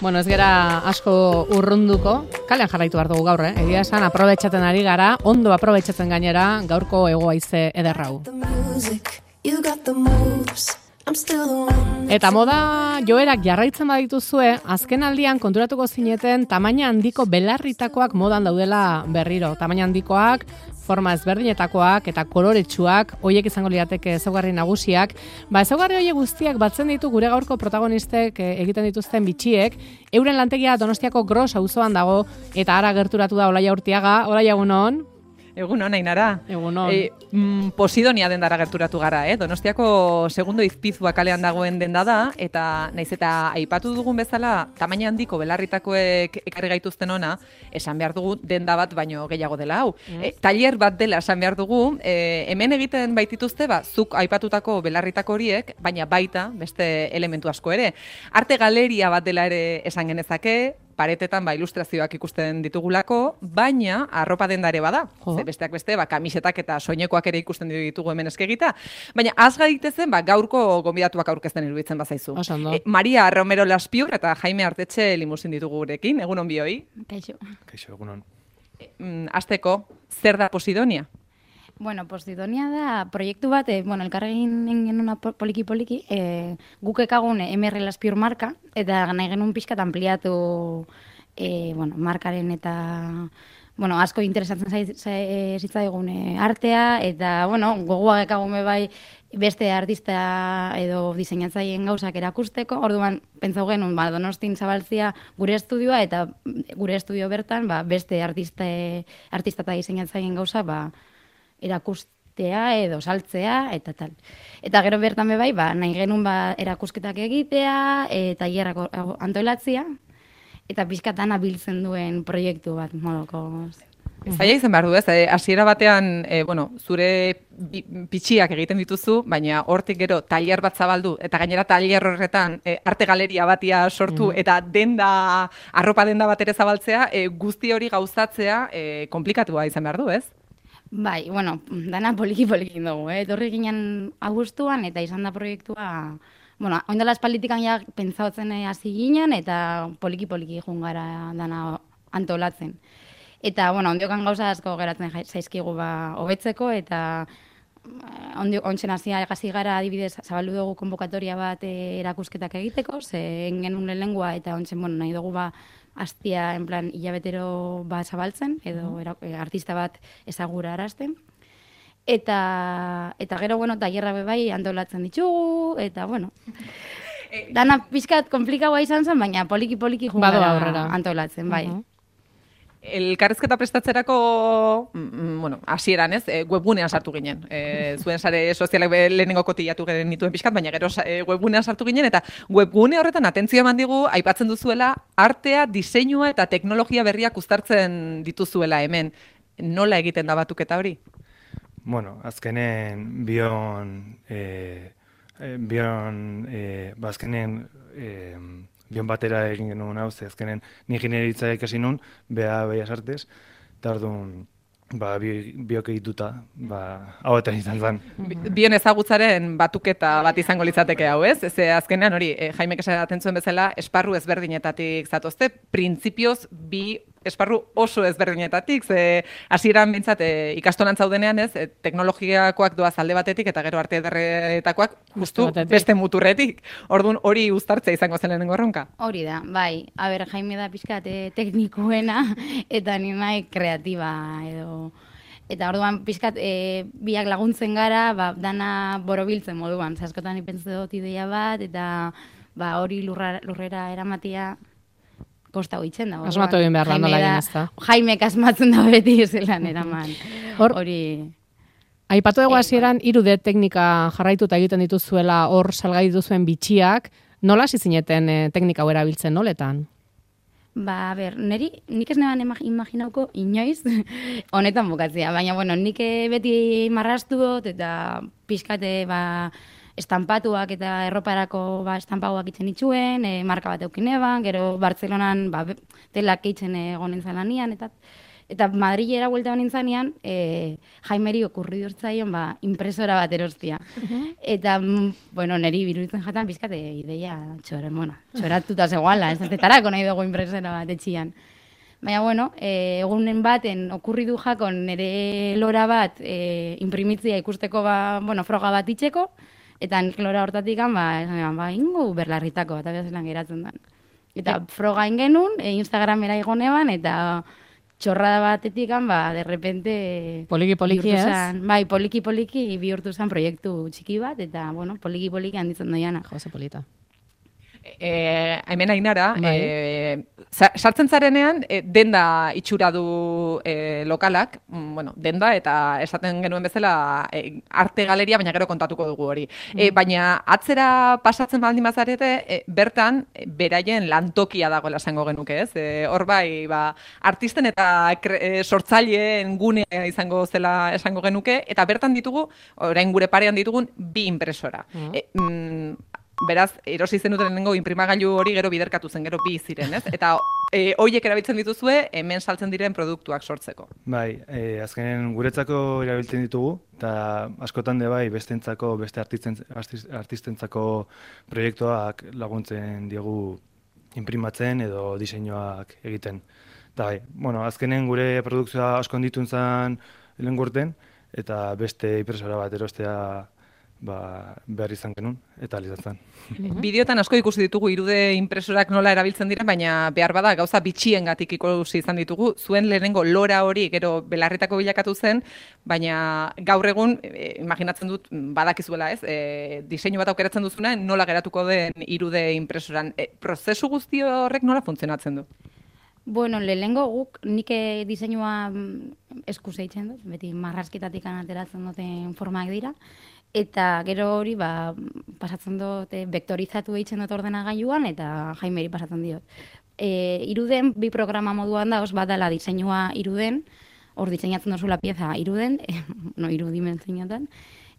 Bueno, ez gera asko urrunduko, kalean jarraitu behar dugu gaur, Egia esan, aprobetxatzen ari gara, ondo aprobetxatzen gainera, gaurko egoaize ederrau. Eta moda joerak jarraitzen badituzue, azken aldian konturatuko zineten tamaina handiko belarritakoak modan daudela berriro. Tamaina handikoak, forma ezberdinetakoak eta koloretsuak, hoiek izango lirateke ezaugarri nagusiak. Ezaugarri horiek guztiak batzen ditu gure gaurko protagonistek egiten dituzten bitxiek. Euren lantegia Donostiako Gros auzoan dago eta ara gerturatu da Olaia Urtiaga. Olaia, egunon. Egunon, Ainara. Egunon. Posidonia dendara gerturatu gara, Donostiako segundo izpizua kalean dagoen denda da, eta naiz eta aipatu dugun bezala, tamaina handiko belarritakoek ekarri gaituzten ona, esan behar dugu denda bat baino gehiago dela hau. Tailer bat dela esan behar dugu, hemen egiten baitituzte, zuk aipatutako belarritako horiek, baina baita beste elementu asko ere. Arte galeria bat dela ere esan genezake, paretetan ilustrazioak ikusten ditugulako, baina arropa dendare bada. Besteak beste, kamisetak eta soinekoak ere ikusten ditugu hemen eskegita. Baina az gaitezen, gaurko gonbidatuak aurkezten iruditzen bazaizu. Maria Romero Laspiur eta Jaime Artetxe limusin ditugu gurekin. Egunon bioi. Kaixo. Kaixo, egunon. Azteko, zer da Posidonia? Bueno, Posidonia da proiektu bat, elkarregin genuna poliki-poliki, guk ekagun MR Laspiur marka, eta nahi genuen pixkat ampliatu markaren eta asko interesatzen zitzaigun artea, eta gogoak ekagun bai beste artista edo diseinatzaileen gauzak erakusteko. Orduan, pentsau genuen, Donostin zabaltzia gure estudioa, eta gure estudio bertan beste artista eta diseinatzaileen gauzak erakustea edo saltzea eta tal. Eta gero bertan bai, nahi genuen erakusketak egitea, tailerrak antolatzea, eta pixkatan abiltzen duen proiektu bat modoko. Zaila izan behar du, hasiera batean, zure pitxiak egiten dituzu, baina hortik gero tailer bat zabaldu, eta gainera tailer horretan arte galeria batia sortu, eta arropa denda bat ere zabaltzea, guzti hori gauzatzea komplikatua izan behar du, ez? Bai, dana poliki-poliki dugu, etorri ginen abuztuan, eta izan da proiektua, oindela espalditikan ja pentsautzen hasi ginen, eta poliki-poliki jungara dana antolatzen. Eta, ondiokan gauza asko geratzen zaizkigu hobetzeko, eta ontzen hasi gara adibidez zabaldu dugu konbokatoria bat erakusketak egiteko, ze genuen lengua, eta ontzen nahi dugu astia, en plan, hilabetero zabaltzen, edo artista bat ezagura arazten. Eta gero, tailerra bai antolatzen ditugu, eta, dana pixkat komplikagoa izan zen, baina poliki-poliki jungara antolatzen, bai. Elkarrizketa prestatzerako, hasieran ez, webgunean sartu ginen. Zuen sare sozialak lehenengo kotillatu genituen pixkat, baina gero webgunean sartu ginen, eta webgune horretan atentzioa eman digu, aipatzen duzuela, artea, diseinua eta teknologia berriak uztartzen dituzuela hemen. Nola egiten da batuketa hori? Azkenen bion batera egin genuen hau, azkenen ni ingenieritza ikasi nun, Bellas Artes, eta orduan biok egituta, hau eta izan zen. Bion ezagutzaren batuketa bat izango litzateke hau, ez? Ez azkenean hori, Jaimek esaten zuen bezala, esparru ezberdinetatik zatozte, printzipioz bi esparru oso ezberdinetatik, ze hasieran behintzat ikastolan zaudenean, ez, teknologiakoak doaz alde batetik eta gero arte ederretakoak justu beste muturretik. Orduan hori uztartzea izango zen lehenengo erronka. Hori da, bai. Jaime da pixkat teknikoena eta ni nahi kreatiba edo. Eta orduan pixkat biak laguntzen gara, dana borobiltzen moduan. Askotan ipentzu dut ideia bat, eta hori lurrera eramatia kosta hoitzen da. Asmatu egin behar da, nola egin ez da. Jaimek asmatzen da beti zelan eraman. Hori... Aipatu dugu hasieran 3D teknika jarraituta egiten dituzuela hor salgai dituzuen bitxiak, nola hasi zineten teknika hau erabiltzen noletan? Nik ez neban imaginauko inoiz honetan bukatzea, baina nik beti marrastu dut eta pixkate estampatuak eta erroparako estampagoak itzen itxuen, marka bat eukin eban, gero Bartzelonan telak eitzen egonen zalanian, Eta Madrilera buelta honintzanean, Jaimeri okurri durtzaion, impresora bat erostia. Eta, bueno, niri biruditzen jatan pizkate ideia txoratuta zegoala, ez zetarako nahi dugu impresora bat etxian. Baina, bueno, egunen baten okurri du jakon nire lora bat imprimitzia ikusteko, froga bat itxeko, eta nik lora hortatik ingo Belarritako, eta behazelan geratzen den. Eta froga ingenun, Instagramera igonean, eta txorrada batetik, de repente... Poliki-poliki, ez? Bai, poliki-poliki bihurtu zen proiektu txiki bat, eta, bueno, poliki-poliki handitzen doiana. Jose polita. Hemen Ainara, sartzen zarenean, denda itxura du lokalak, denda, eta esaten genuen bezala arte galeria, baina gero kontatuko dugu hori. Baina atzera pasatzen baldin bazarete, bertan, beraien lantokia dagoela esango genuke, ez? Hor bai, artisten eta sortzaileen gunea izango zela esango genuke, eta bertan ditugu, orain gure parean ditugun, 2 impresora. Beraz, erosi zenuten lehenengo inprimagailu hori gero biderkatu zen, gero 2 ziren, ez? Eta horiek erabiltzen dituzue, hemen saltzen diren produktuak sortzeko. Bai, azkenen guretzako erabiltzen ditugu, eta askotan bai bestentzako, beste artistentzako proiektuak laguntzen diegu inprimatzen edo diseinuak egiten. Eta bai, azkenen gure produkzioa asko handitun zen lehen gurten, eta beste impresora bat erostea behar izan genuen, eta alizatzen. Bideotan asko ikusi ditugu irude impresorak nola erabiltzen diren, baina behar bada gauza bitxiengatik ikusi izan ditugu. Zuen lehenengo lora hori gero Belarritako bilakatu zen, baina gaur egun, imaginatzen dut, badakizuela ez, diseinu bat aukeratzen duzuna, nola geratuko den irude impresoran. Prozesu guzti horrek nola funtzionatzen du? Bueno, lehenengo guk nik diseinua eskuz eitzen dut, beti marrazketatik ateratzen duten formak dira, eta gero hori pasatzen dut, vektorizatu eitzen dut ordenagailuan, eta Jaimeri pasatzen diot. Iruden 2 programa moduan da, bat dela diseinua iruden, hor diseinatzen duzula pieza iruden, irudimentzeinotan,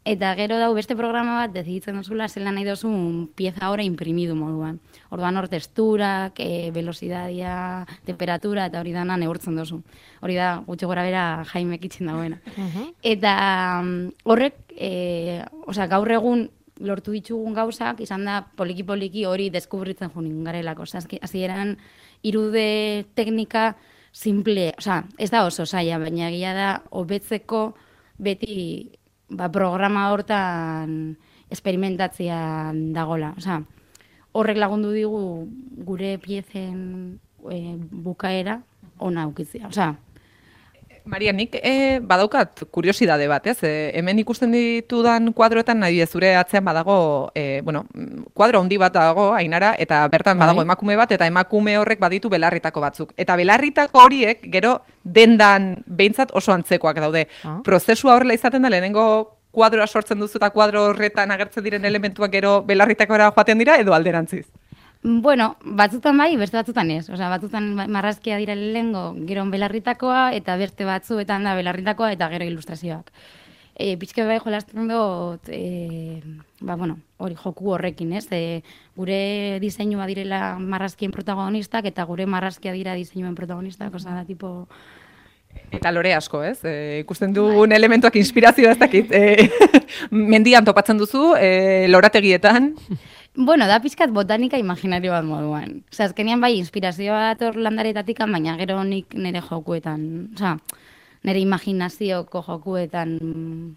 eta gero dau beste programa bat deziditzen duzula zela nahi duzun pieza hori imprimidu moduan. Orduan hor testurak, velocidadia, temperatura, eta hori dana neurtzen duzu. Hori da, gutxi gora bera Jaimek itzen dagoena. Eta horrek, gaur egun lortu ditugun gauzak, izan da poliki-poliki hori deskubritzen junin garelako. Hasieran irude teknika simple, ez da oso zaila, baina egia da hobetzeko beti programa hortan esperimentatzean dagola. Horrek lagundu digu gure piezen bukaera ona aukitzea. Maria, nik badaukat kuriosidade bat, ez? Hemen ikusten ditudan kuadroetan nahi zure atzean badago, kuadro handi bat dago, Ainara, eta bertan badago emakume bat, eta emakume horrek baditu Belarritako batzuk. Eta Belarritako horiek, gero, dendan behintzat oso antzekoak daude. Prozesua horrela izaten da, lehenengo kuadroa sortzen duzu eta kuadro horretan agertzen diren elementuak gero Belarritakora joaten dira, edo alderantziz? Bueno, batzutan bai, beste batzutan ez. Batzutan marrazkia dira lehengo, gero Belarritakoa, eta beste batzuetan da Belarritakoa, eta gero ilustrazioak. Pizke bai jolasten dut, hori joku horrekin, ez? Gure diseinua direla marrazkien protagonistak, eta gure marrazkia dira diseinuen protagonistak, da tipo... Eta lore asko, ez? Ikusten dugun elementuak inspirazioa ez dakit. Mendian topatzen duzu, lorategietan... Bueno, da pizkat botanika imaginario bat moduan. Azkenean bai, inspirazioa dator landaretatik, baina gero nik nire jokuetan, nire imaginazioko jokuetan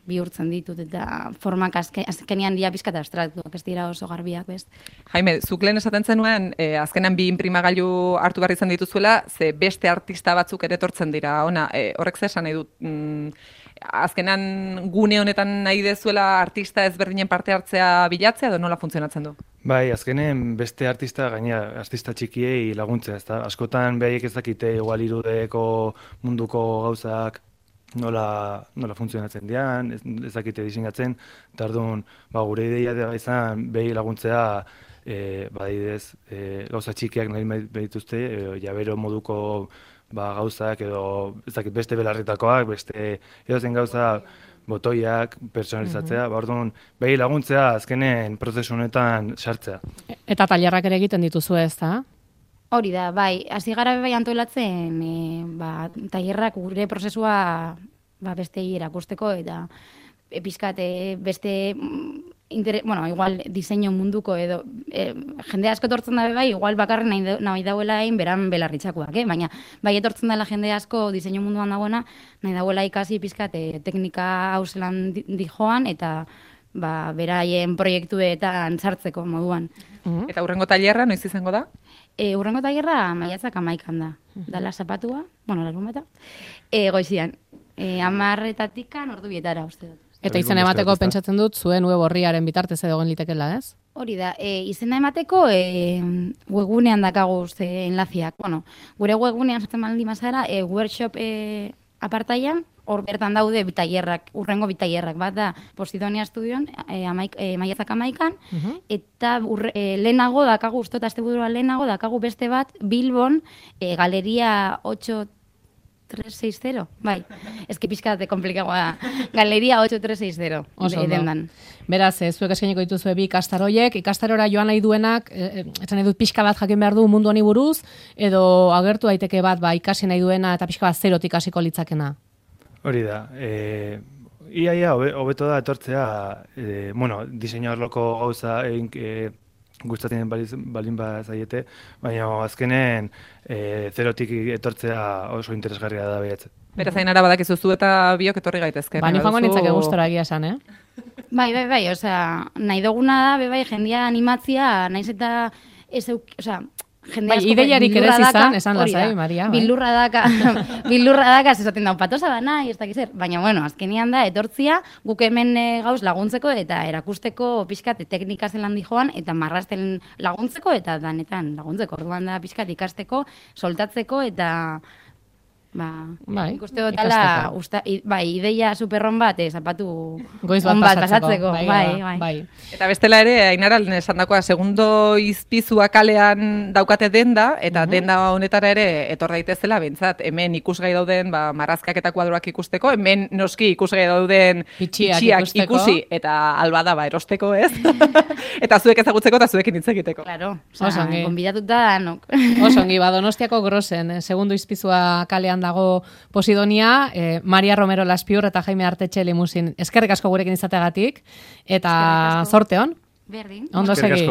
bihurtzen ditut, eta formak azkenean dira pizkat abstraktuak, ez dira oso garbiak, bez? Jaime, zuk lehen esaten zenuen, azkenean 2 inprimagailu hartu behar izan dituzuela, ze beste artista batzuk ere etortzen dira, horrek ze esan nahi dut, azkenan gune honetan nahi dezuela artista ezberdinen parte hartzea bilatzea, edo nola funtzionatzen du? Bai, azkenen beste artista txikiei laguntzea, ezta? Askotan behaiek ez dakite igual irudeko munduko gauzak nola funtzionatzen dian, ez dakite diseinatzen, eta orduan, gure ideia da izan behi laguntzea badidez gauza txikiak nahi behituzte, jabero moduko gauzak edo ez dakit beste Belarritakoak, beste edozen gauza botoiak personalizatzea, orduan behi laguntzea azkenen prozesu honetan sartzea. Eta tailerrak ere egiten dituzu ez da? Hori da, bai, hasi gara bai antolatzen, tailerrak gure prozesua bestei erakusteko eta pizkat beste igual diseinu munduko edo jende asko etortzen da bai, igual bakarren nahi dauela egin beran belarritzakoak, baina bai etortzen dela jende asko diseinu munduan dagoena, nahi dauela ikasi pizkat teknika hau zelan dijoan eta beraien proiektuetan sartzeko moduan. Eta hurrengo tailerra noiz izango da? Hurrengo tailerra maiatzak 11 da. Dala zapatua, larunbata, goizian. 10:00 ordu bietara, uste dut. Eta izena emateko pentsatzen dut zuen web orriaren bitartez edo gen litekela, ez? Hori da, izena emateko webgunean dakagu enlaziak. Bueno, gure webgunean sartzen baldin bazara, workshop apartaian, hor bertan daude bitailerrak, hurrengo bitailerrak, bat da Posidonia Estudioan, maiatzak 11, eta lehenago dakagu, uste asteburua lehenago dakagu beste bat, Bilbon, Galeria 8360, bai, eski pixkate komplikagoa, Galeria 8360, dendan. Beraz, zuek eskainiko dituzue bi ikastaroiek, ikastarora joan nahi duenak, esan nahi dut pixka bat jakin behar du mundu honi buruz, edo agertu daiteke bat ikasi nahi duena eta pixka bat zerotik hasiko litzakena. Hori da, iaia hobeto da etortzea, diseinu arloko gauza gustatzen balin bazaiete, baina azkenen zerotik etortzea oso interesgarria da behatzen. Beraz, Ainara badakizu zu eta biok etorri gaitezke. Ni joango nintzake gustora egia esan, Bai, nahi duguna da, bai, jendia animatzia, naiz eta ideiarik ere izan, esan lasai, Maria. Bilurra daka, esaten da, patosa da nahi, ez dakiz zer. Baina, azkenian da, etortzia, guk hemen gauz laguntzeko eta erakusteko pixkat teknika zelan dijoan, eta marrasten laguntzeko eta danetan laguntzeko. Orduan da pixkat ikasteko, soltatzeko eta ikuste dut ala, ideia superron bat, zapatu goiz on bat pasatzeko. Bai. Eta bestela ere, Ainara esan dakoa, segundo izpizua kalean daukate denda, eta denda honetara ere etor daitezela, bentsat, hemen ikusgai dauden marrazkak eta kuadroak ikusteko, hemen noski ikusgai dauden pitxiak ikusi, eta albada erosteko, ez? Eta zuek ezagutzeko eta zuekin hitz egiteko. Claro, konbidatuta danok. Osongi, Donostiako Grosen, segundo izpizua kalean dago Posidonia, Maria Romero Laspiur eta Jaime Artetxe Limusin. Eskerrik asko gurekin izateagatik, eta zorte on. Berdin. Ondo segi.